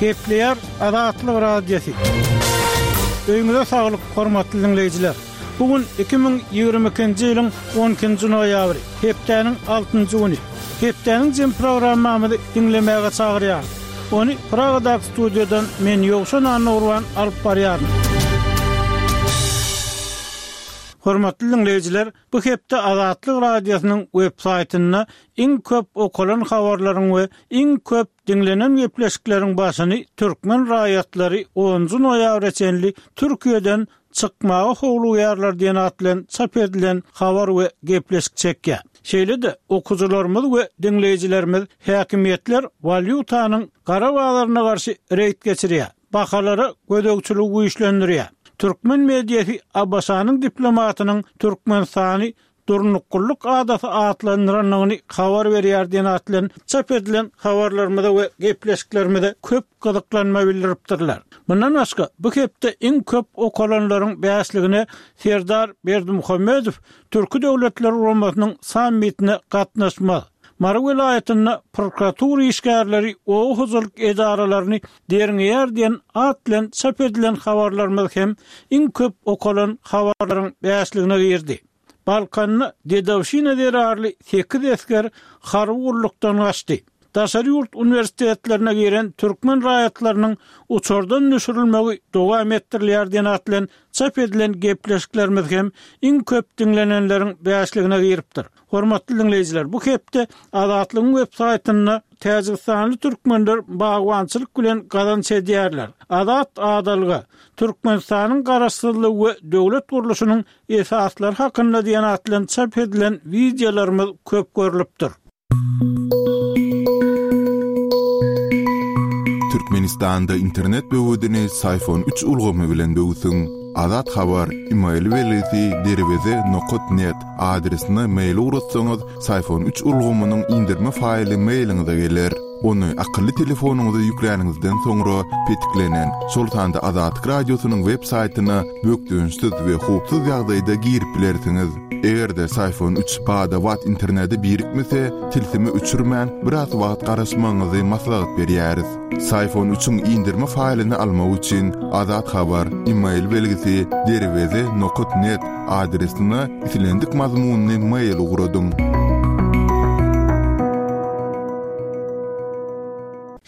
Gepleýär Azatlyk Radiosy. Öýüňize saglyk, hormatly diňleýjiler! Bu gün 2022-nji ýylyň on ikinji noýabry, hepdäniň altynjy güni. Hepdäniň jem programmamyzy diňlemäge çagyrýarys. Ony Pragadaky studiýadan men Ýowşan Annagurban alyp barýaryn. Hormatly diňleýjiler, bu hepde Azatlyk Radiosynyň web saýtynda iň köp okalan habarlaryň we iň köp diňlenen gepleşikleriň başyny türkmen raýatlary onunjy noýabra çenli Türkiýeden çykmaga howlugýarlar diýen at bilen çap edilen habar we gepleşik çekýär. Şeýle-de, okyjylarymyz we diňleýjilerimiz häkimiýetler walýutanyň gara bazaryna garşy reýd geçirýär, bahalara gözegçiligi güýçlendirýär. Türkmen mediasy ABŞ-nyň diplomatynyň Türkmenistany Durnuklylyk adasy atlandyrandygyny habar berýär diýen at bilen çap edilen habarlarymyza we gepleşiklerimize köp gyzyklanma bildiripdirler. Mundan başga, bu hepde iň köp okalanlaryň bäşligine Serdar Berdimuhamedow Türki Döwletler Guramasynyň sammitine gatnaşmaz, Mary welaýatynda prokuratura işgärleri oba hojalyk edaralaryny derňeýär diýen at bilen çap edilen habarlarymyz hem iň köp okalan habarlaryň bäşligine girdi. Balkanda dedowşina zerarly sekiz esger harby gullukdan gaçdy. Daşary ýurt uniwersitetlerine giren türkmen raýatlarynyň uçardan düşürilmegi dowam etdirilýär diýen at bilen çap edilen gepleşiklerimiz hem iň köp diňlenenleriň bäşligine giripdir. Hormatly diňleýjiler, bu hepde Azatlygyň web saýtynda Täjigistanly türkmenler bagbançylyk bilen gazanç edýärler, Azat adalga, Türkmenistanyň Garaşsyzlygy we döwlet gurluşynyň esaslary hakynda diýen at bilen çap edilen wideolarymyz köp görlüpdir. Türkmenistanda internet böwedini Syfon üç ulgamy bilen böwsüň. Azat Habar, email belgisi derweze nokat net adresine mail ugratsaňyz, Syfon üç ulgamynyň indirme faýly mailiňize geler. Ony akylly telefonyňyza ýükläniňizden soňra petiklenen, şol sanda Azatlyk Radiosynyň web saýtyna bökdençsiz we howpsuz ýagdaýda girip bilersiňiz. Eger-de Syfon üç bada-bat internete birikmese, tilsimi öçürmän, biraz wagt garaşmagyňyzy maslahat berýäris. Syfon üçiň indirme faýlyny almak üçin Azat Habar, email belgisi derweze nokat net adresine islendik mazmunly mail ugradyň.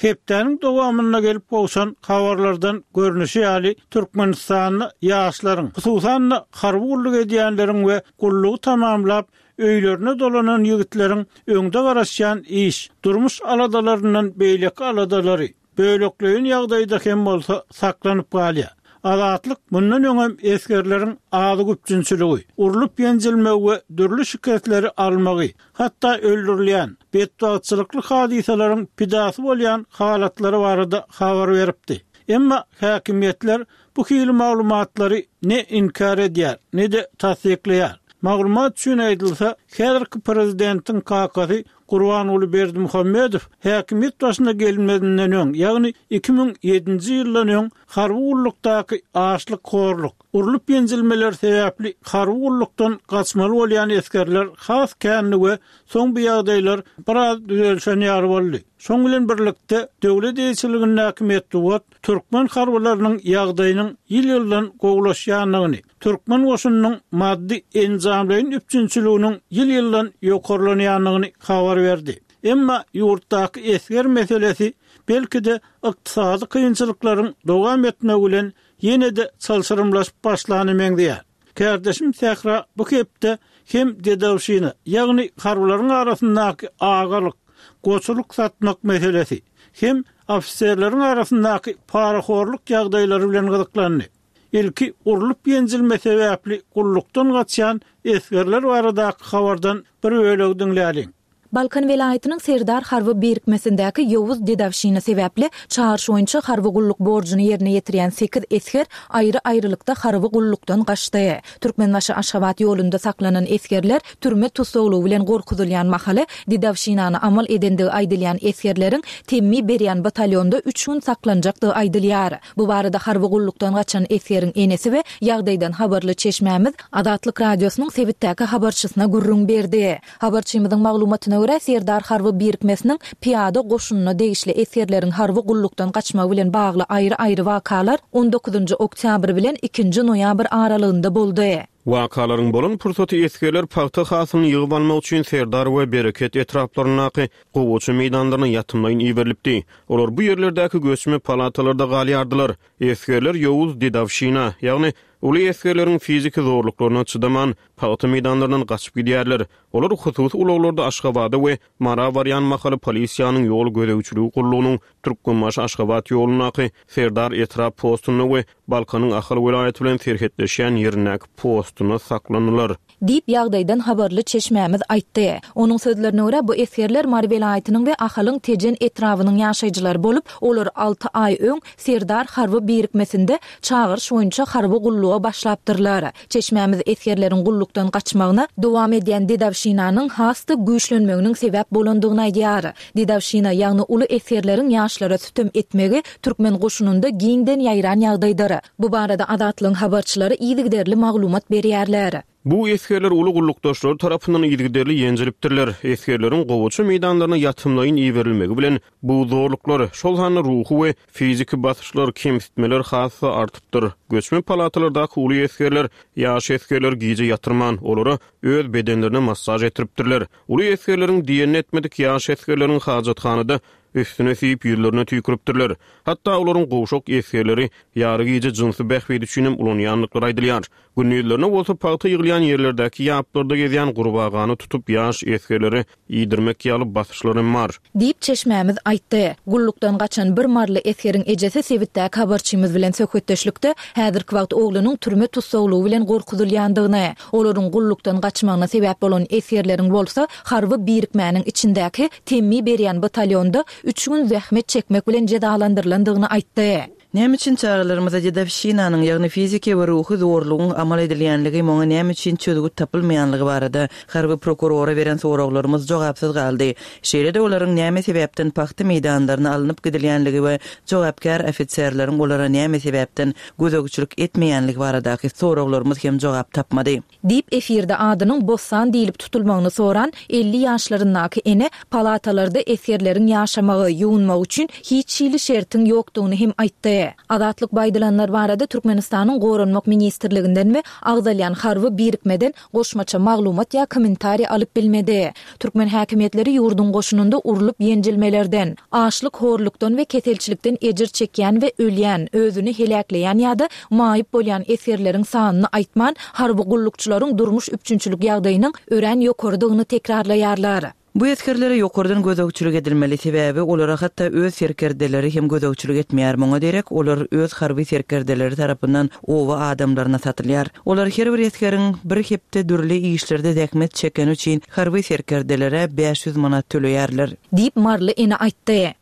Hepdäniň dowamynda gelip gowşan habarlardan görnüşi ýaly, Türkmenistanda ýaşlaryň, hususan-da, harby gulluk edýänleriň we gullugy tamamlap, öýlerine dolanan ýigitleriň öňde garaşýan iş, durmuş aladalaryndan beýleki aladalary, bölekleýin ýagdaýda hem bolsa, saklanyp galýar. Azatlyk mundan öňem esgerleriň azyk üpjünçiligi, urlup-ýenjilmegi we dürli şikesleri almagy, hatda öldürilýän, betbagtçylykly hadysalaryň pidasy bolýan halatlary barada habar beripdi. Emma häkimiýetler Bu hili maglumatlary ne inkär edýär, ne-de tassyklaýar. Maglumat üçin aýdylsa, häzirki prezidentiň kakasy Gurbanguly Berdimuhamedow häkimiýet başyna gelmezinden öň, ýagny 2007-nji ýyldan öň harby gullukdaky açlyk-horluk, urlup-ýenjilmeler sebäpli harby gullukdan gaçmaly bolýan esgerler has kändi we soň bu ýagdaýlar biraz düzelişen ýaly boldy. Şoň bilen birlikde, döwlet eýeçiligindäki metbugat türkmen harbylarynyň ýagdaýynyň ýyl-ýyldan gowulaşýandygyny, türkmen goşunynyň maddy-enjamlaýyn üpjünçiliginiň ýyl-ýyldan ýokarlanýandygyny habar berdi. Emma ýurtdaky esger meselesi, belki-de, ykdysady kynçylyklaryň dowam etmegi bilen ýene-de çylşyrymlaşyp başlana meňzeýär. Kärdeşim Sähra bu hepde hem dedowşina, ýagny harbylaryň arasyndaky agalyk, goçulyk satmak meselesi, hem ofiserleriň arasyndaky parahorluk ýagdaýlary bilen gyzyklandy. Ilki urlup-ýenjilme sebäpli gullukdan gaçýan esgerler baradaky habardan bir bölegi diňläliň. Balkan welaýatynyň Serdar harby birikmesindäki ýowuz dedowşina sebäpli çagyryş boýunça harby gulluk borjuny ýerine ýetirýän sekiz esger aýry-aýrylykda harby gullukdan gaçdy. Türkmenbaşy-Aşgabat ýolunda saklanan esgerler türme tussaglygy bilen gorkuzylýan mahaly dedowşinany amal edendigi aýdylýan esgerleriň temmi berýän batalýonda üç gün saklanjakdygy aýdylýar. Bu barada harby gullukdan gaçan esgeriň enesi we ýagdaýdan habarly çeşmämiz Azatlyk Radiosynyň sebitdäki habarçysyna gürrüň berdi. Habarçymyzyň maglumatyna görä. görä, Serdar harby birikmesiniň pyýada goşunyna degişli esgerleriň harby gullukdan gaçmagy bilen bagly aýry-aýry wakalar on dokuzynjy oktýabr bilen ikinji noýabr aralygynda boldy. Wakalaryň bolan pursaty esgerler pagta hasylyny ýygyp almak üçin Serdar we Bereket etraplaryndaky gowaça meýdanlaryna ýatymlaýyn iberilipdi. Olar bu ýerlerdäki göçme palatalarda galýardylar. Esgerler ýowuz dedowşina, ýagny uly esgerleriň fiziki zorluklaryna çydaman, pagta meýdanlaryndan gaçyp gidýärler. Olar hususy ulaglarda Aşgabada we Mara barýan mahaly polisiýanyň ýol gözegçiligi gullugynyň Türkmenbaşy-Aşgabat ýolundaky Serdar etrap postunda we Balkanyň Ahal welaýaty bilen serhetleşýän ýerindäki postunda saklandylar. Diýip, ýagdaýdan habarly çeşmämiz aýtdy. Onuň sözlerine görä, bu esgerler Mary welaýatynyň we Ahalyň Tejen etrabynyň ýaşaýjylary bolup, olar alty aý öň Serdar harby birikmesinde çagyryş boýunça harby gulluga başlapdyrlar. Çeşmämiz esgerleriň gullukdan gaçmagyna dowam edýän dedowşinanyň has-da güýçlenmeginiň sebäp bolandygyny aýdýar. Dedowşina, ýagny uly esgerleriň ýaşlara sütem etmegi türkmen goşunynda giňden ýaýran ýagdaýdyr. Bu barada Azatlygyň habarçylary yzygiderli maglumat berýärler. Bu esgerler uly gullukdaşlary tarapyndan yzygiderli ýenjilipdirler. Esgerleriň gowaça meýdanlaryna ýatymlaýyn iberilmegi bilen bu zorluklar, şol sanda ruhy we fiziki basyşlar, kemsitmeler has-da artypdyr. Göçme palatalardaky uly esgerler ýaş esgerleri gije ýatyrman, olara öz bedenlerine massaž etdiripdirler. Uly esgerleriň diýenini etmedik ýaş esgerleriň hajathanada üstüne siýip, ýüzlerine tüýküripdirler. Hatda olaryň gowşak esgerleri ýary gije jynsy bähbit üçin hem ulanýandyklary aýdylýar. Gündizlerine bolsa pagta ýygylýan ýerlerdäki ýaplarda gezýän gurbagany tutup ýaş esgerlere iýdirmek ýaly basyşlar hem bar. Diýip, çeşmämiz aýtdy. Gullukdan gaçan bir maryly esgeriň ejesi sebitdäki habarçymyz bilen söhbetdeşlikde häzirki wagt oglunyň türme tussaglygy bilen gorkuzylýandygyny, olaryň gullukdan gaçmagyna sebäp bolan esgerleriň bolsa harby birikmäniň içindäki temmi berýän batalýonda üç gün zähmet çekmek bilen jezalandyrylandygyny aýtdy. Näme üçin çagalarymyza dedowşinanyň, ýagny fiziki we ruhy zorlugyň amal edilýänligi, muňa näme üçin çözgüt tapylmaýanlygy barada harby prokurora beren soraglarymyz jogapsyz galdy. Şeýle-de olaryň näme sebäpden pagta meýdanlaryna alnyp gidilýänligi we jogapkär ofiserleriň olara näme sebäpden gözegçilik etmeýänligi baradaky soraglarymyz hem jogap tapmady. Diýip, efirde adynyň Bossan diýlip tutulmagyny soran 50 ýaşlaryndaky ene palatalarda esgerleriň ýaşamagy, ýuwunmagy üçin hiç hili şertiň ýokdugyny hem aýtdy. Azatlyk bu aýdylanlar barada Türkmenistanyň Goranmak ministrliginden we agzalýan harby birikmeden goşmaça maglumat ýa kommentariý alyp bilmedi. Türkmen häkimiýetleri ýurduň goşunynda urlup-ýenjilmelerden, açlyk-horlukdan we keselçilikden ejir çekýän we ölýän, özüni heläkleýän ýa-da maýyp bolýan esgerleriň sanyny aýtman, harby gullukçylaryň durmuş üpjünçilik ýagdaýynyň örän ýokarydygyny tekrarlaýarlar. Bu esgerlere ýokardan gözegçilik edilmeli, sebäbi olara hatda öz serkerdeleri hem gözegçilik etmeýär, muňa derek olar öz harby serkerdeleri tarapyndan oba adamlaryna satylýar. Olar her bir esgeriň bir hepde dürli işlerde zähmet çekeni üçin harby serkerdelere 500 manat töleýärler. Diýip, maryly ene aýtdy.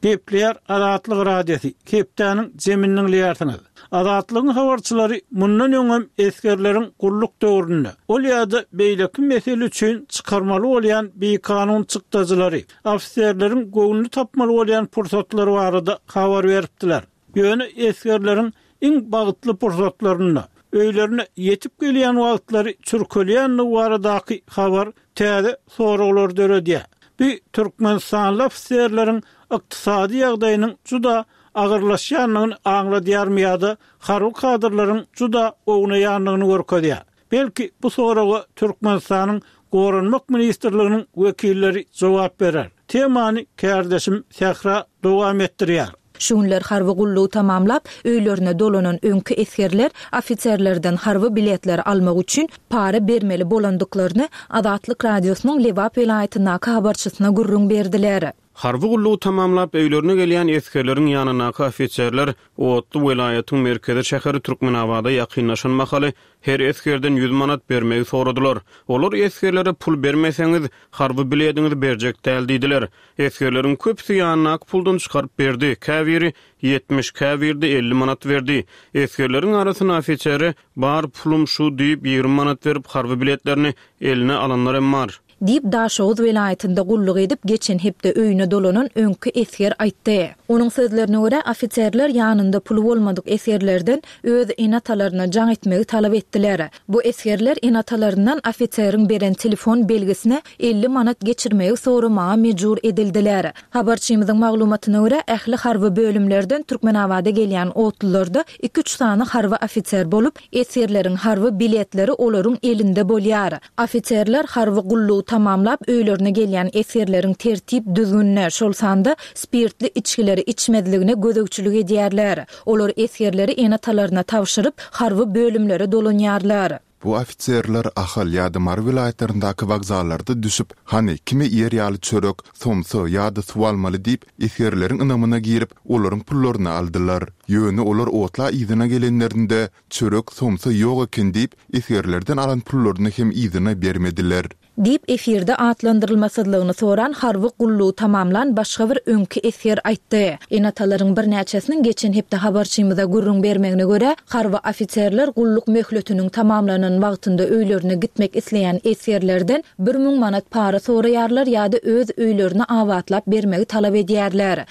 Gepleýär Azatlyk Radiosy, hepdäniň jemini diňleýärsiňiz. Azatlygyň habarçylary mundan öňem esgerleriň gulluk döwründe ol ýa-da beýleki mesele üçin çykarmaly bolýan bikanun çykdajylary, ofiserleriň göwnüni tapmaly bolýan pursatlary barada habar beripdiler. Ýöne esgerleriň iň bagtly pursatlarynda, öýlerine ýetip gelýän wagtlary çürkelýändigi baradaky habar täze soraglary döredýär. Bu türkmenistanly ofiserleriň ykdysady ýagdaýynyň juda agyrlaşýandygyny aňladýarmy ýa-da harby kadrlaryň juda ownaýandygyny görkezýär? Belki, bu soraga Türkmenistanyň Goranmak ministrliginiň wekilleri jogap berer. Temany kärdeşim Sähra dowam etdirýär. Şu günler harby gullugy tamamlap, öýlerine dolanan öňki esgerler ofiserlerden harby biletleri almak üçin para bermeli bolandyklaryny Azatlyk Radiosynyň Lebap welaýatyndaky habarçysyna gürrüň berdiler. Harby gullugy tamamlap, öýlerine gelýän esgerleriň ýanyndaky ofiserler otly welaýatyň merkezi şäheri Türkmenabada ýakynlaşan mahaly her esgerden ýüz manat bermegi soradylar. Olar esgerlere pul bermeseňiz, harby bilediňizi berjek däl diýdiler. Esgerleriň köpüsi ýanyndaky puldan çykaryp berdi, käbiri 70, käbiri-de 50 manat berdi. Esgerleriň arasynda ofisere Bar pulum şu diýip, 20 manat berip, harby biletlerini eline alanlar hem bar. Diýip, Daşoguz welaýatynda gulluk edip, geçen hepde öýüne dolanan öňki esger aýtdy. Onuň sözlerine görä, ofiserler ýanynda puly bolmadyk esgerlerden öz ene-atalaryna jaň etmegi talap etdiler. Bu esgerler ene-atalaryndan ofiseriň beren telefon belgisine 50 manat geçirmegi soramaga mejbur edildiler. Habarçymyzyň maglumatyna görä, ähli harby bölümlerden Türkmenabada gelýän otlularda iki-üç sany harby ofiser bolup, esgerleriň harby biletleri olaryň elinde bolýar. Ofiserler harby gullugy tamamlap öýlerine gelýän esgerleriň tertip-düzgünine, şol sanda spirtli içgileri içmezligine gözegçilik edýärler. Olar esgerleri ene-atalaryna tabşyryp, harby bölümlere dolanýarlar. Bu ofiserler Ahal ýa-da Mary welaýatlaryndaky wokzallarda düşüp, hany, kime iýer ýaly çörek, somsa ýa-da suw almaly diýip, esgerleriň ynamyna girip, olaryň pullaryny aldylar. Ýöne olar otla yzyna gelenlerinde, çörek, somsa ýok eken diýip, esgerlerden alan pullaryny hem yzyna bermediler. Diýip, efirde atlandyrylmasyzlygyny soran harby gullugy tamamlan başga bir öňki esger aýtdy. Ene-atalaryň birnäçesiniň geçen hepde habarçymyza gürrüň bermegine görä, harby ofiserler gulluk möhletiniň tamamlanan wagtynda öýlerine gitmek isleýän esgerlerden 1000 manat para soraýarlar ýa-da öz öýlerini abatlap bermegi talap edýärler.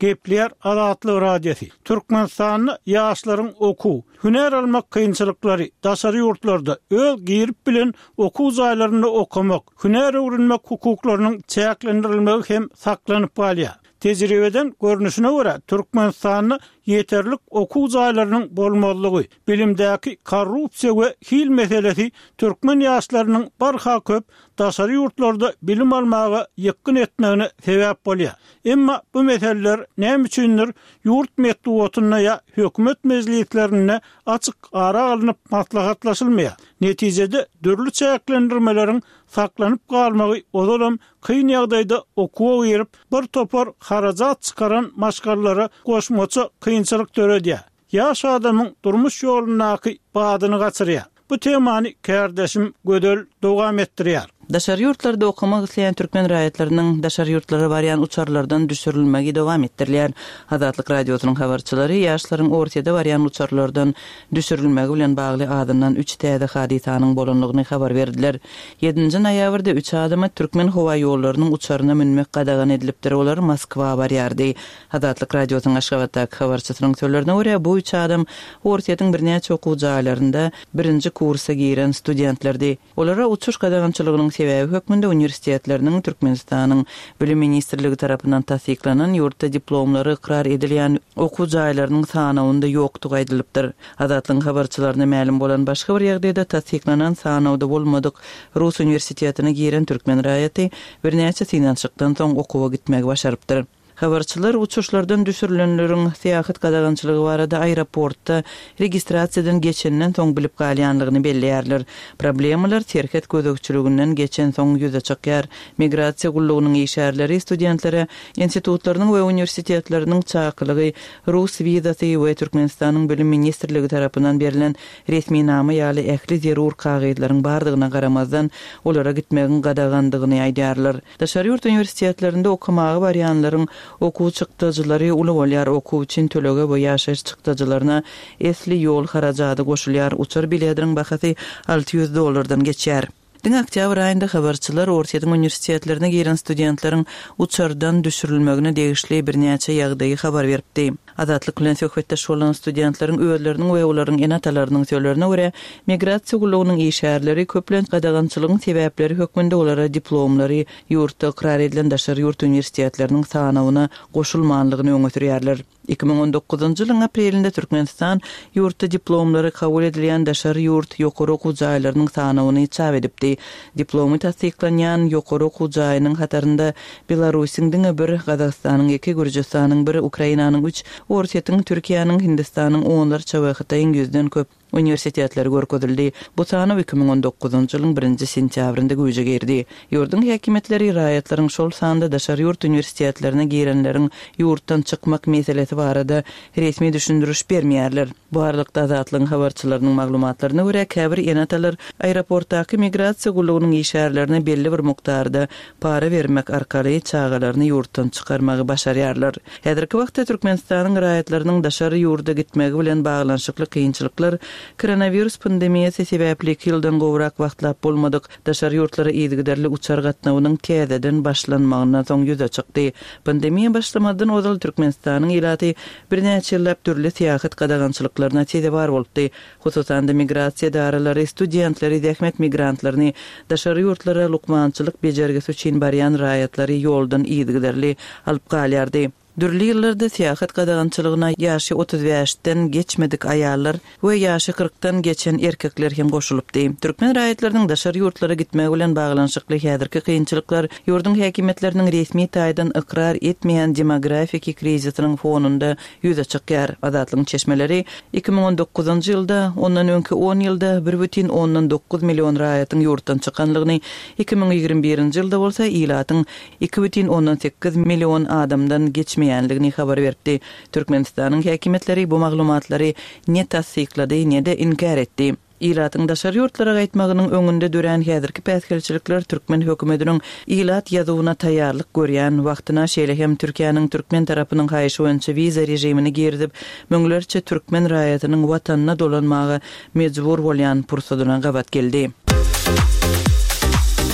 Gepleýär Azatlyk Radiosy, Türkmenistanda ýaşlaryň okuw, Hünär almak kynçylyklary, daşary ýurtlarda, öz girip bilen okuw jaýlarynda okamak, hünär öwrenmek hukuklarynyň çäklendirilmegi hem saklanyp galýar. Tejribeden görnüşine görä, Türkmenistanda ýeterlik okuw jaýlarynyň bolmazlygy, bilimdäki korrupsiýa we hil meselesi türkmen ýaşlarynyň barha köp daşary ýurtlarda bilim almaga ýykgyn etmegine sebäp bolýar. Emma bu meseleler näme üçindir ýurt metbugatynda ýa hökümet mejlislerinde açyk ara alnyp maslahatlaşylmaýar. Netijede dürli çäklendirmeleriň saklanyp galmagy ozalam kyn ýagdaýda okuwa girip, bir topar harajat çykaran maşgalalara goşmaça kynçylyk döredýär. Ýaş adamyň durmuş ýolundaky badyny gaçyrýar. Bu temany kärdeşim Gözel dowam etdirýär. Daşary ýurtlarda okamak isleýän türkmen raýatlarynyň daşary ýurtlara barýan uçarlardan düşürilmegi dowam etdirilýär. Azatlyk Radiosynyň habarçylary ýaşlaryň Orsýede barýan uçarlardan düşürilmegi bilen bagly azyndan üç täze hadysanyň bolandygyny habar berdiler. Ýedinji noýabrda üç adama Türkmenhowaýollarynyň uçaryna münmek gadagan edilipdir, olar Moskwa barýardy. Azatlyk Radiosynyň Aşgabatdaky habarçysynyň sözlerine görä, bu üç adam Orsýetiň birnäçe okuw jaýlarynda birinji kursa giren studentlerdi. Olara uçuş gadagançylygynyň sebäbi hökmünde uniwersitetleriniň Türkmenistanyň Bilim ministrligi tarapyndan tassyklanan ýurtda diplomlary ykrar edilýän okuw jaýlarynyň sanawynda ýokdugy aýdylypdyr. Azatlygyň habarçylaryna mälim bolan başga bir ýagdaýda tassyklanan sanawda bolmadyk rus uniwersitetine giren türkmen raýaty birnäçe synanyşykdan soň okuwa gitmegi başarypdyr. Habarçylar uçuşlardan düşürilenleriň syýahat gadagançylygy barada aeroportda registrasiýadan geçenden soň bilip galýanlygyny belleýärler. Problemalar serhet gözegçiliginden geçensoň ýüze çykýar. Migrasiýa gullugynyň işgärleri studentlere institutlarynyň we uniwersitetleriniň çakylygy, rus wizasy we Türkmenistanyň Bilim ministrligi tarapyndan berlen resminama ýaly ähli zerur kagyzlaryň bardygyna garamazdan, olara gitmegiň gadagandygyny aýdýarlar. Daşary ýurt uniwersitetlerinde okamaga barýanlaryň okuw çykdajylary uly bolýar, okuw üçin tölege we ýaşaýyş çykdajylaryna esli ýol harajady goşulýar, uçar bilediniň bahasy 600 dollardan geçýär. Diňe oktýabr aýynda habarçylar Orsýetiň uniwersitetlerine giren studentleriň uçardan düşürilmegine degişli birnäçe ýagdaýy habar beripdi. Azatlyk bilen söhbetdeş bolan studentleriň özleriniň we olaryň ene-atalarynyň sözlerine görä, migrasiýa gullugynyň işgärleri köplenç gadagançylygyň sebäpleri hökmünde olara diplomlary ýurtda ykrar edilen daşary ýurt uniwersitetleriniň sanawyna goşulmanlygyny öňe sürýärler. 2019-njy ýylyň aprelinde Türkmenistan ýurtda diplomlary kabul edilýän daşary ýurt ýokary okuw jaýlarynyň sanawyny çap edipdi. Diplomy tassyklanýan ýokary okuw jaýynyň hatarynda Belarusyň diňe bir, Gazagystanyň iki, Gürjüstanyň bir, Ukrainanyň üç, Orsýetiň, Türkiýäniň, Hindistanyň onlarça we Hytaýyň ýüzden köp uniwersitetleri görkezildi. Bu sanaw 2019-njy ýylyň birinji sentýabrynda güýje girdi. Ýurduň häkimiýetleri raýatlaryň, şol sanda daşary ýurt uniwersitetlerine girenleriň ýurtdan çykmak meselesi barada resmi düşündiriş bermeýärler. Bu aralykda, Azatlygyň habarçylarynyň maglumatlaryna görä, käbir ene-atalar aeroportdaky migrasiýa gullugynyň işgärlerine belli bir mukdarda para bermek arkaly çagalaryny ýurtdan çykarmagy başarýarlar. Häzirki wagtda Türkmenistanyň raýatlarynyň daşary ýurda gitmegi bilen baglanyşykly kynçylyklar. Koronawirus pandemiýasy sebäpli iki ýyldan gowrak wagtlap bolmadyk daşary ýurtlara yzygiderli uçar gatnawynyň täzeden başlanmagyndan soň ýüze çykdy. Pandemiýa başlamazdan ozal Türkmenistanyň ilaty birnäçe ýyllap dürli syýahat gadagançylyklaryna sezewar bolupdy. Hususan-da, migrasiýa edaralary studentleri, zähmet migrantlaryny, daşary ýurtlara lukmançylyk bejergisi üçin barýan raýatlary ýoldan yzygiderli alyp galýardy. Dürli ýyllarda syýahat gadagançylygyna ýaşy 35-den geçmedik aýallar we ýaşy kyrkdan geçen erkekler hem goşulypdy. Türkmen raýatlarynyň daşary ýurtlara gitmegi bilen baglanyşykly häzirki kynçylyklar ýurduň häkimiýetleriniň resmi taýdan ykrar etmeýän demografiki krizisiniň fonunda ýüze çykýar. Azatlygyň çeşmeleri 2019-njy ýylda, ondan öňki on ýylda bir bütin ondan dokuz million raýatyň ýurtdan çykanlygyny, 2021-nji ýylda bolsa ilatyň 2,8 million adamdan geçmeýänligini habar beripdi. Türkmenistanyň häkimiýetleri bu maglumatlary ne tassyklady, ne-de inkär etdi. Ilatyň daşary ýurtlara gaýtmagynyň öňünde dörän häzirki päsgelçilikler türkmen hökümetiniň ilat ýazuwyna taýýarlyk görýän wagtyna, şeýle hem Türkiýäniň türkmen tarapynyň haýyşy boýunça wiza režimini girizip, müňlerçe türkmen raýatynyň watanyna dolanmaga mejbur bolýan pursadyna gabat geldi.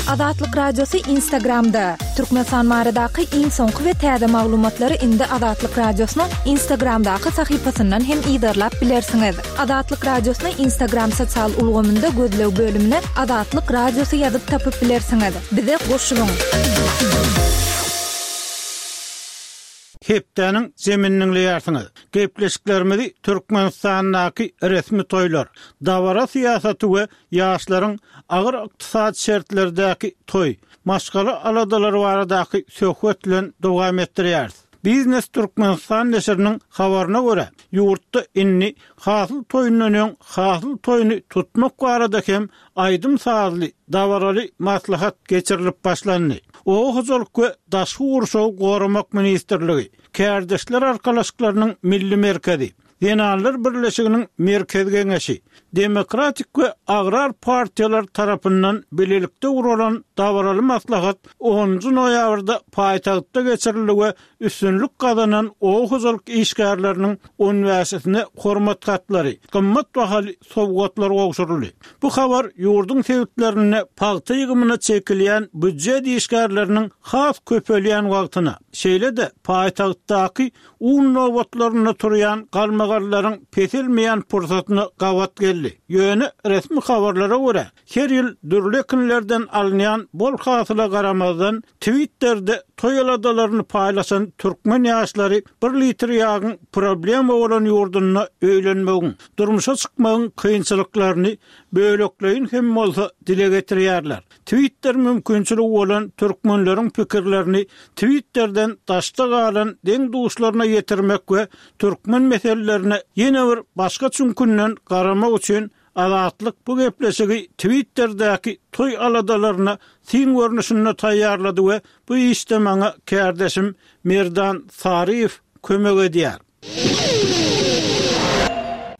Azatlyk Radiosy Instagramda, Türkmenistan baradaky iň soňky we täze maglumatlary indi Azatlyk Radiosynyň Instagramdaky sahypasyndan hem yzarlap bilersiňiz. Azatlyk Radiosyny Instagram sosial ulgamynda gözleg bölümine Azatlyk Radiosy ýazyp tapyp bilersiňiz. Bize goşulyň! Hepdäniň jemini diňleýärsiňiz. Gepleşiklerimizi Türkmenistandaky resmi toýlar, dabara syýasaty we ýaşlaryň agyr ykdysady şertlerdäki toý, maşgala aladalary baradaky söhbet bilen dowam etdirýäris. Biznes Türkmenistan neşiriniň habaryna görä, ýurtda indi hasyl toýundan öň hasyl toýuny tutmak barada hem aýdym-sazly, dabaraly maslahat geçirilip başlandy. Oba hojalyk we daşky gurşawy goramak ministrligi, Kärdeşler arkalaşyklarynyň Milli merkezi, Zenanlar birleşiginiň Merkezi Geňeşi, Demokratik we Agrar partiýalar tarapyndan bilelikde guralan dabaraly maslahat onunjy noýabrda paýtagtda geçirildi we üstünlik gazanan oba hojalyk işgärleriniň on bäşisine hormat hatlary, gymmat bahaly sowgatlar gowşuryldy. Bu habar ýurduň sebitlerinde pagta ýygymyna çekilýän býujet işgärleriniň has köpelýän wagtyna, şeýle-de paýtagtdaky un nobatlarynda turýan galmagallaryň peselmeýän pursatyna gabat geldi. Ýöne resmi habarlara görä, her ýyl dürli ekinlerden alynýan bol hasyla garamazdan, Twitterde toý aladalaryny paýlaşan türkmen ýaşlary bir litr ýagyň problema bolan ýurdunda öýlenmegiň, durmuşa çykmagyň kynçylyklaryny bölekleýin hem bolsa dile getirýärler. Twitter mümkinçiligi bolan türkmenleriň pikirlerini Twitterden daşda galan deň-duşlaryna ýetirmek we türkmen meselelerine ýene bir başga çüňkünden garamak üçin Azatlyk bu gepleşigi Twitterdäki toý aladalaryna syn görnüşinde taýýarlady we bu işde maňa kärdeşim Merdan Saryýew kömek edýär.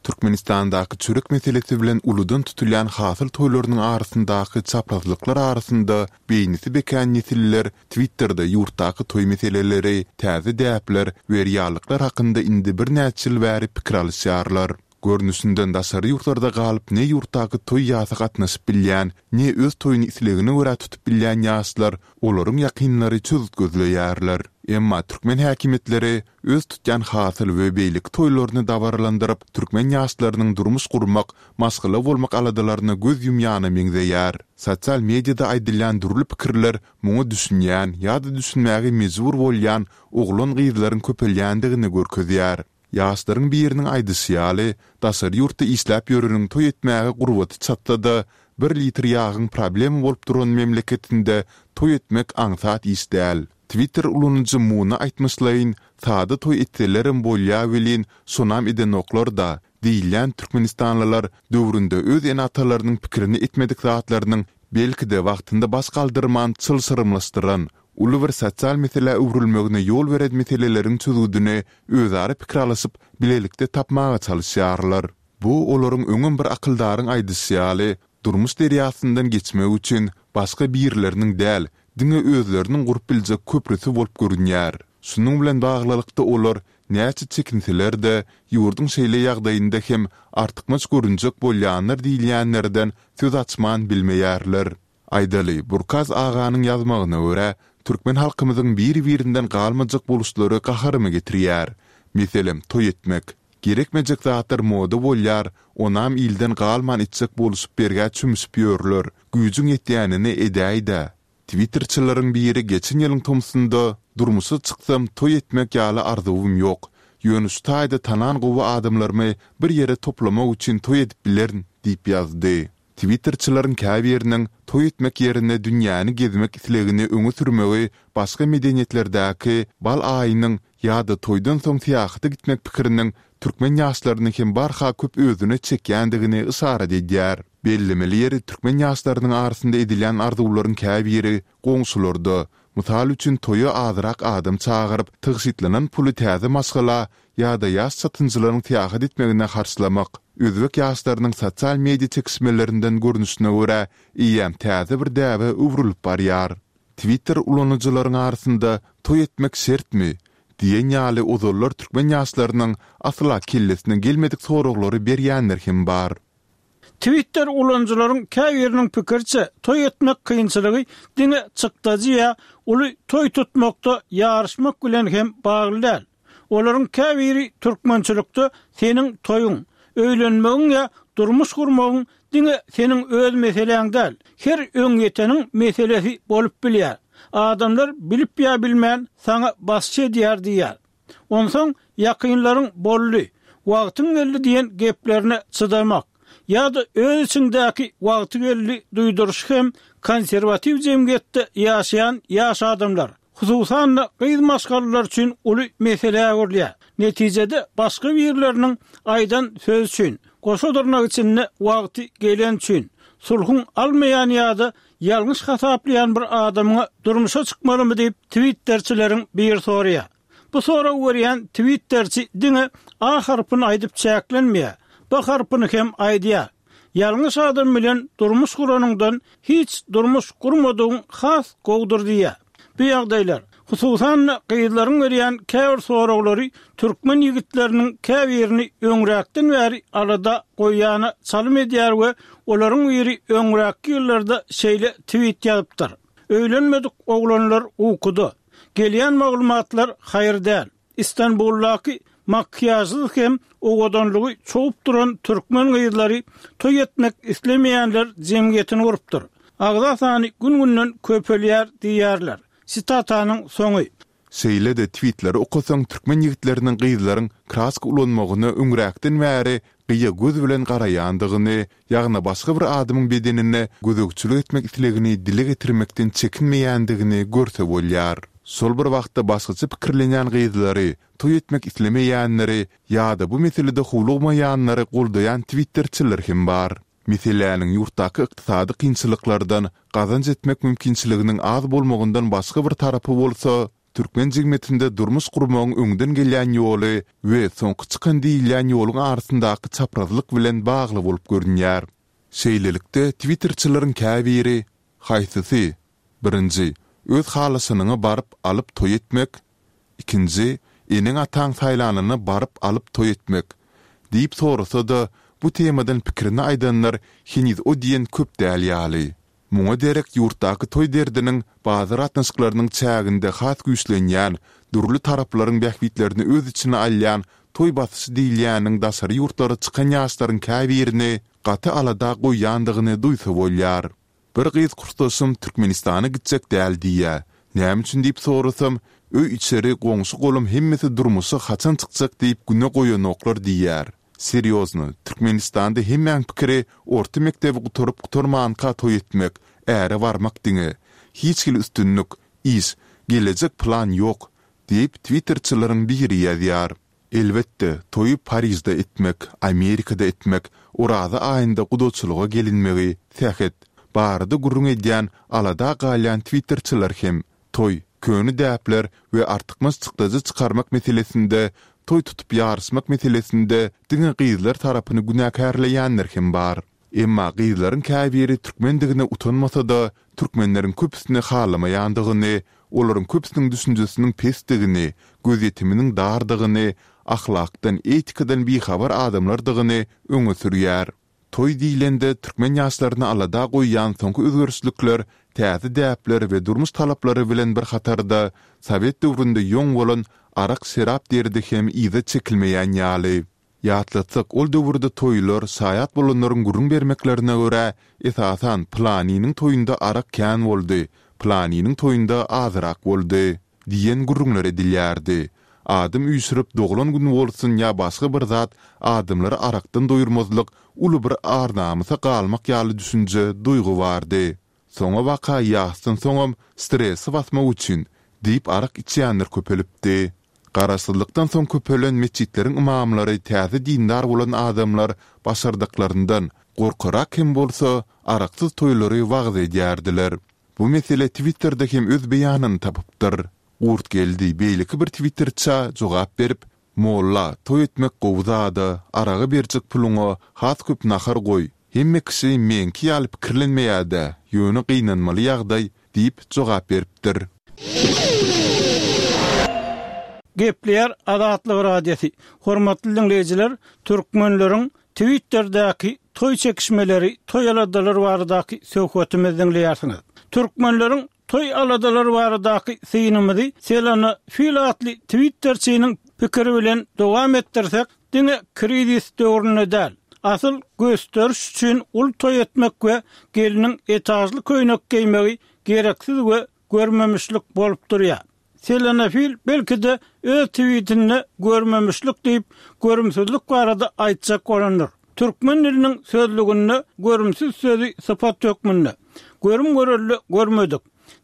Türkmenistandaky çörek meselesi bilen uludan tutulýan hasyl toýlarynyň arasyndaky çaprazlyklar arasynda beýnisi bekän nesiller Twitterde ýurtdaky toý meseleleri, täze däpler we reallyklar hakynda indi birnäçe ýyl bäri pikir alyşýarlar. Görnüşinden daşary ýurtlarda galyp ne ýurtdaky toý-ýasa gatnaşyp bilýän, ne öz toýuny islegine görä tutup bilýän ýaşlar, olaryň ýakynlary çözgüt gözleýärler. Emma türkmen häkimiýetleri öz tutýan hasyl we beýleki toýlaryny dabaralandyryp, türkmen ýaşlarynyň durmuş gurmak, maşgala bolmak aladalaryna göz ýumýana meňzeýär. Sosial mediada aýdylýan dürli pikirler muňa düşünýän ýa-da düşünmäge mejbur bolýan oglan-gyzlaryň köpelýändigini görkezýär. Ýaşlaryň biriniň aýdyşy ýaly, daşary ýurtda işläp ýöreniň toý etmäge gurbaty çatsa-da, bir litr ýagyň problema bolup duran memleketinde toý etmek aňsat iş däl. Twitter ulanyjy Muna aýtmyşlaýyn, sada toý etselerem bolýa welin, şonam edenoklar-da diýilýän türkmenistanlylar döwründe öz ene-atalarynyň pikirini etmedik zatlarynyň belki-de wagtynda baş galdyrman çylşyrymlaşdyran, uly bir sosial meselä öwrülmegine ýol beren meseleleriň çözgüdini özara pikir alyşyp, bilelikde tapmaga çalyşýarlar. Bu olaryň öňem bir akyldaryň aýdyşy ýaly, durmuş derýasyndan geçmek üçin başga birileriniň däl, diňe özleriniň gurup biljek köprüsi bolup görünýär. Şunuň bilen baglylykda olar. Näçe çekinseler-de, ýurduň şeýle ýagdaýynda hem artykmaç görünjek bolýanlar diýilýänlerden söz açman bilmeýärler. Aýdaly, Burkaz aganyň ýazmagyna görä, türkmen halkymyzyň bir-birinden galmajak boluşlary gaharymy getirýär. Meselem, toý etmek. Gerekmejek zatlar moda bolýar, onam ilden galman etjek boluşyp bergä çümüşip ýörler. Güýjüň ýetýänini edäý-dä. Twitterçileriň biri geçen ýylyň tomsunda, Durmuşa çyksam, toý etmek ýaly arzuwym ýok. Ýöne şu taýda tanan gowy adamlarymy bir ýere toplamak üçin toý edip bilerin diýip ýazdy. Twitterçileriň käbiriniň toý etmek ýerine dünýäni gezmek islegini öňe sürmegi başga medeniýetlerdäki bal aýynyň ýa-da toýdan soň syýahata gitmek pikiriniň türkmen ýaşlaryny hem barha köp özüne çekýändigini yşarat edýär. Bellemeli ýeri türkmen ýaşlarynyň arasynda edilýän arzuwlaryň käbiri goňşularda, mysal üçin toýa azrak adam çagyryp, tygşytlanan puly täze maşgala ýa-da ýaş çatynjylaryň syýahat etmegine harçlamak, özbek ýaşlarynyň sosial media çekişmelerinden görnüşine görä eýýäm täze bir däbe öwrülip barýar. Twitter ulanyjylaryň arasynda Toý etmek şertmi? diýen ýaly ozallar türkmen ýaşlarynyň asla kellesine gelmedik soraglary berýänler hem bar. Twitter ulanyjylaryň käbiriniň pikiriçe, toý etmek kynçylygy diňe çykdajy ýa uly toý tutmakda ýaryşmak bilen hem bagly däl. Olaryň käbiri türkmençilikde seniň toýuň, öýlenmegiň ýa durmuş gurmagyň diňe seniň öz meseläň däl, her öňýeteniň meselesi bolup bilýär. Adamlar bilip ýa bilmän saňa basyş edýär diýýär. Onsoň ýakynlaryň boldy, wagtyň geldi diýen geplerine çydamak ýa-da öz içiňdäki wagty geldi duýduryşy hem konserwatiw jemgyýetde ýaşaýan ýaş adamlar, hususan-da gyz maşgalalar üçin uly meselä öwrülýär. Netijede başga birleriniň aýdan sözi üçin, goşa dyrnak içinde wagty geleni üçin, sulhuň almaýan ýa-da ýalňyş hasaplaýan bir adamyňa durmuşa çykmalymy diýip twitterçileriň biri soraýar. Bu soragy berýän twitterçi diňe A harpyny aýdyp çäklenmeýär, B harpyny hem aýdýar. Ýalňyş adam bilen durmuş guranyňdan hiç durmuş gurmadygyň has gowudyr diýýär. Bu ýagdaýlar, hususan-da, gyzlaryň berýän käbir soraglary türkmen ýigitleriniň käbirini öňräkden bäri alada goýýana çalym edýär we olaryň biri öňräkki ýyllarda şeýle twit ýazypdyr, Öýlenmedik oglanlar ukuda. Gelýän maglumatlar haýyr däl. Istanbuldaky makiýažsyz hem owadanlygy çogup duran türkmen gyzlary toý etmek islemeýänler jemgyýetini gurupdyr. Agza sany gün-günden köpelýär diýýärler. Sitatanyň soňy. Şeýle-de twitleri okasaň türkmen ýigitleriniň gyzlaryň kraska ulanmagyna öňräkden bäri gyýa göz bilen garaýandygyny, ýagny başga bir adamyň bedenine gözegçilik etmek islegini dile getirmekden çekinmeýändigini görse bolýar. Şol bir wagtda başgaça pikirlenýän gyzlary, toý etmek islemeýänleri ýa-da bu meselede howlugmaýanlary goldaýan twitterçiler hem bar. Meseläniň ýurtdaky ykdysady kynçylyklardan, gazanç etmek mümkinçiliginiň az bolmagyndan başga bir tarapy bolsa, Türkmen jigmetinde durmuş gurmagyň öňden gelýän ýoly we soňky çykan diýilýän ýoluň arasyndaky çaprazlyk bilen bagly bolup görünýär. Şeýlelikde, twitterçileriň käbiri, Haýsysy? Birinji, öz halaşanyňa baryp alyp toý etmek. Ikinji, eneň-ataň saýlanyna baryp alyp toý etmek. Diýip sorasa-da, bu temadan pikirini aýdanlar heniz o diýen köp däl ýaly. Muňa derek ýurtdaky toý derdiniň bazar gatnaşyklarynyň çäginde has güýçlenýän, dürli taraplaryň bähbitlerini öz içine alýan toý basyşy diýilýäniň daşary ýurtlara çykan ýaşlaryň käbirini gaty alada goýýandygyny duýsa bolýar. Bir gyz kursdaşym Türkmenistana gitjek däl diýýä. Näme üçin diýip sorasam, öý-içeri, goňşy-golam hemmesi durmuşa haçan çykjak diýip güne goýanoklar diýýär. Serýozno, Türkmenistanda hemmäň pikiri orta mekdebi gutaryp gutarmanka toý etmek, äre barmak diňe. Hiç hili üstünlik, iş, gelejek plan ýok, diýip twitterçileriň biri ýazýar. Elbetde, toýy Parižde etmek, Amerikada etmek, Oraza aýynda gudaçylyga gelinmegi, sähet, barada gürrüň edýän, alada galýan twitterçiler hem, Toý, köne däpler we artykmaç çykdajy çykarmak meselesinde, toý tutup ýaryşmak meselesinde diňe gyzlar tarapyny günäkärleýänler hem bar. Emma gyzlaryň käbiri türkmendigine utanmasa-da, türkmenleriň köpüsini halamaýandygyny, olaryň köpüsiniň düşünjesiniň pesdigini, gözýetiminiň dardygyny, ahlakdan, etikadan bihabar adamlardygyny öňe sürýär. Toý diýlende, türkmen ýaşlaryny alada goýýan soňky özgerişlikler täze däpler we durmuş talaplary bilen bir hatarda, sowet döwründe ýoň bolan arak-şerap derdi hem yza çekilmeýän ýaly. Ýatlatsak, ol döwürde toýlar, şaýat bolanlaryň gürrüň bermeklerine görä, esasan, pylanynyň toýunda arak kän boldy, pylanynyň toýunda azyrak boldy. Diýen gürrüňler edilýärdi. Adam üýşürip, doglan gün bolsun ýa başga bir zat, adamlary arakdan doýurmazlyk uly bir ar-namysa galmak ýaly düşünje, duýgy bardy. Soňabaka ýasdan soňam stresi basmak üçin diýip arak içýänler köpelipdi. Garaşsyzlykdan soň köpelen metjitleriň ymamlary täze dindar bolan adamlar başardyklaryndan, gorkarak hem bolsa, araksyz toýlary wagyz edýärdiler. Bu mesele Twitterde hem öz beýanyny tapypdyr. Gurtgeldi beýleki bir twitterçä jogap berip, Molla, toý etmek gowy zada, araga berjek puluňa has köp nahar goý. Hemme kişi meňki ýaly pikirlenmeýädä, ýöne gynanmaly ýagdaý diýip jogap beripdir. Gepleýär Azatlyk Radiosy, Hormatly diňleýjiler, türkmenleriň Twitterdäki toý çekişmeleri, toý aladalary baradaky söhbetimizi diňleýärsiňiz. Türkmenleriň Toý aladalary baradaky synymyzy Selena Fil atly twitterçiniň pikiri bilen dowam etdirsek, diňe krizis döwründe däl, asyl gösderiş üçin uly toý etmek we gelniň etažly köýnek geýmegi gereksiz we görmemişlik bolup durýar. Selena Fil belki-de öz twitinde görmemişlik diýip, görümsizlik barada aýtjak bolandyr. Türkmen diliniň sözlüginde görümsiz sözi sypat hökmünde, görüm-görelde görmedik,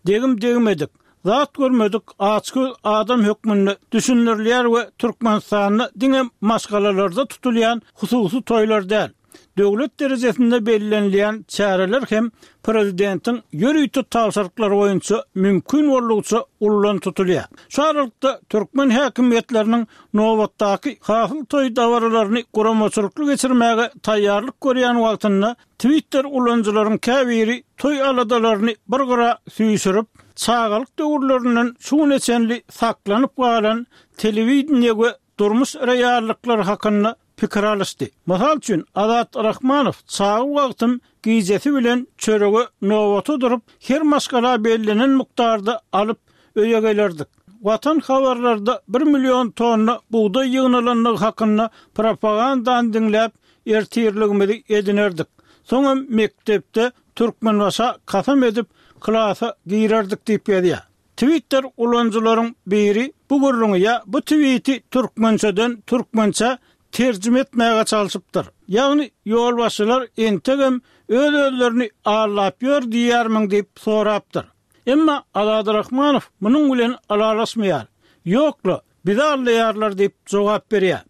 degim-degmedik, zat görmedik açgöz adam hökmünde düşündirilýär we Türkmenistanda diňe maşgalalarda tutulýan hususy toýlar däl, Döwlet derejesinde bellenilýän çäreler hem prezidentiň ýörite tabşyryklary boýunça mümkin boldugyça ullan tutulýar. Şu aralykda, türkmen häkimiýetleriniň nobatdaky Hasyl toý dabaralaryny guramaçylykly geçirmäge taýýarlyk görýän wagtynda Twitter ulanyjylaryň käbiri toý aladalaryny bir gyra süýşürip, çagalyk döwürlerinden şu güne çenli saklanyp galan telewideniýe we durmuş reallyklary hakynda pikir alyşdy. Mysal üçin, Azat Rahmanow çaga wagtym gijesi bilen çörege nobata durup, her maşgala bellenen mukdarda alyp, öýe gelerdik. Watan habarlarda bir million tonna bugdaý ýygnalandygy hakynda propagandany diňläp, ertirligimizi edinerdik. Soňam mekdepde Türkmenbaşa kasam edip, klasa girerdik diýip ýazýar. Twitter ulanyjylaryň biri bu gürrüňi ýa bu twiti türkmençeden türkmençä terjime etmäge çalşypdyr. Ýagny ýolbaşçylar entegem öz-özlerini aldap ýör diýýärmiň diýip sorapdyr. Emma Azady Rahmanow munuň bilen ylalaşmaýar. Ýok-la, Bizi aldaýarlar diýip jogap berýär.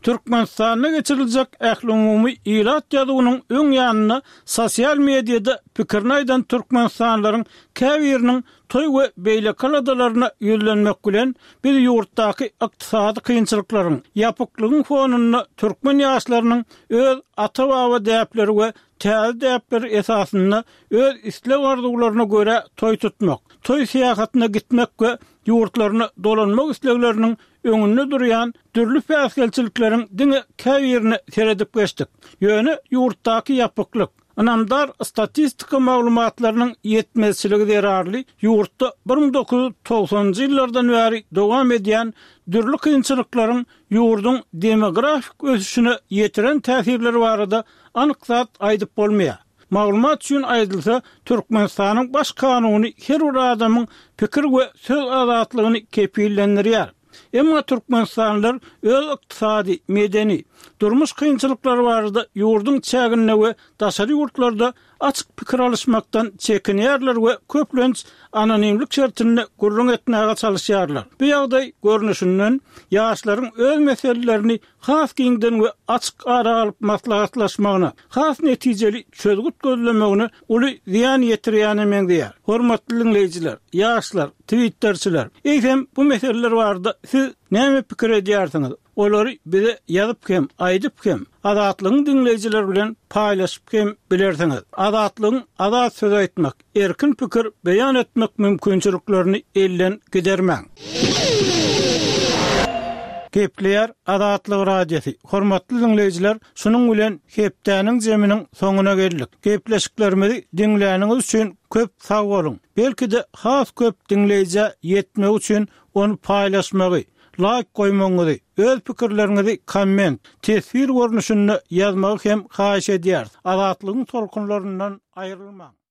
Türkmenistanda geçiriljek ählumumy ilat ýazuwynyň öň ýanynda sosial mediada pikirini aýdan türkmenistanlylaryň käbiriniň toý we beýleki aladalaryna ýüzlenmek bilen, biz ýurtdaky ykdysady kynçylyklaryň, ýapyklygyň fonunda türkmen ýaşlarynyň öz ata-baba däpleri we täze däpler esasynda öz isleg-arzuwlaryna görä toý tutmak, toý syýahatyna gitmek we ýurtlaryna dolanmak islegleriniň öňünde durýan dürli päsgelçilikleriň diňe käbirine seredip geçdik. Ýöne ýurtdaky ýapyklyk, ynamdar statistika maglumatlarynyň ýetmezçiligi zerarly ýurtda 1990-njy ýyllardan bäri dowam edýän dürli kynçylyklaryň ýurduň demografik ösüşine ýetiren täsirleri barada anyk zat aýdyp bolmaýar. Maglumat üçin aýdylsa, Türkmenistanyň Baş kanuny her bir adamyň pikir we söz azatlygyny kepillendirýär. Emma türkmenistanlylar öz ykdysady, medeni, durmuş kynçylyklary barada ýurduň çäginde we daşary ýurtlarda açyk pikir alyşmakdan çekinýärler we köplenç anonimlik şertinde gürrüň etmäge çalyşýarlar. Bu ýagdaý, görnüşinden, ýaşlaryň öz meselelerini has giňden we açyk ara alyp maslahatlaşmagyna, has netijeli çözgüt gözlemegine uly zyýan ýetirýäne meňzeýär. Hormatly diňleýjiler, ýaşlar, twitterçiler, eýsem bu meseleler barada siz. Näme pikir edýärsiňiz? Olary bize ýazyp hem, aýdyp hem, Azatlygyň diňleýjileri bilen paýlaşyp hem bilersiňiz. Azatlygyň azat söz aýtmak, erkin pikir beýan etmek mümkinçiliklerini elden gidermäň. Gepleýär Azatlyk Radiosy. Hormatly diňleýjiler, şunuň bilen hepdäniň jeminiň soňuna geldik. Gepleşiklerimizi diňläniňiz üçin köp sag boluň. Belki-de has köp diňleýjä ýetmegi üçin ony paýlaşmagy, laýk goýmagyňyzy, öz pikirleriňizi komment, teswir görnüşinde ýazmagy hem haýyş edýäris. Azatlygyň tolkunlaryndan aýrylmaň!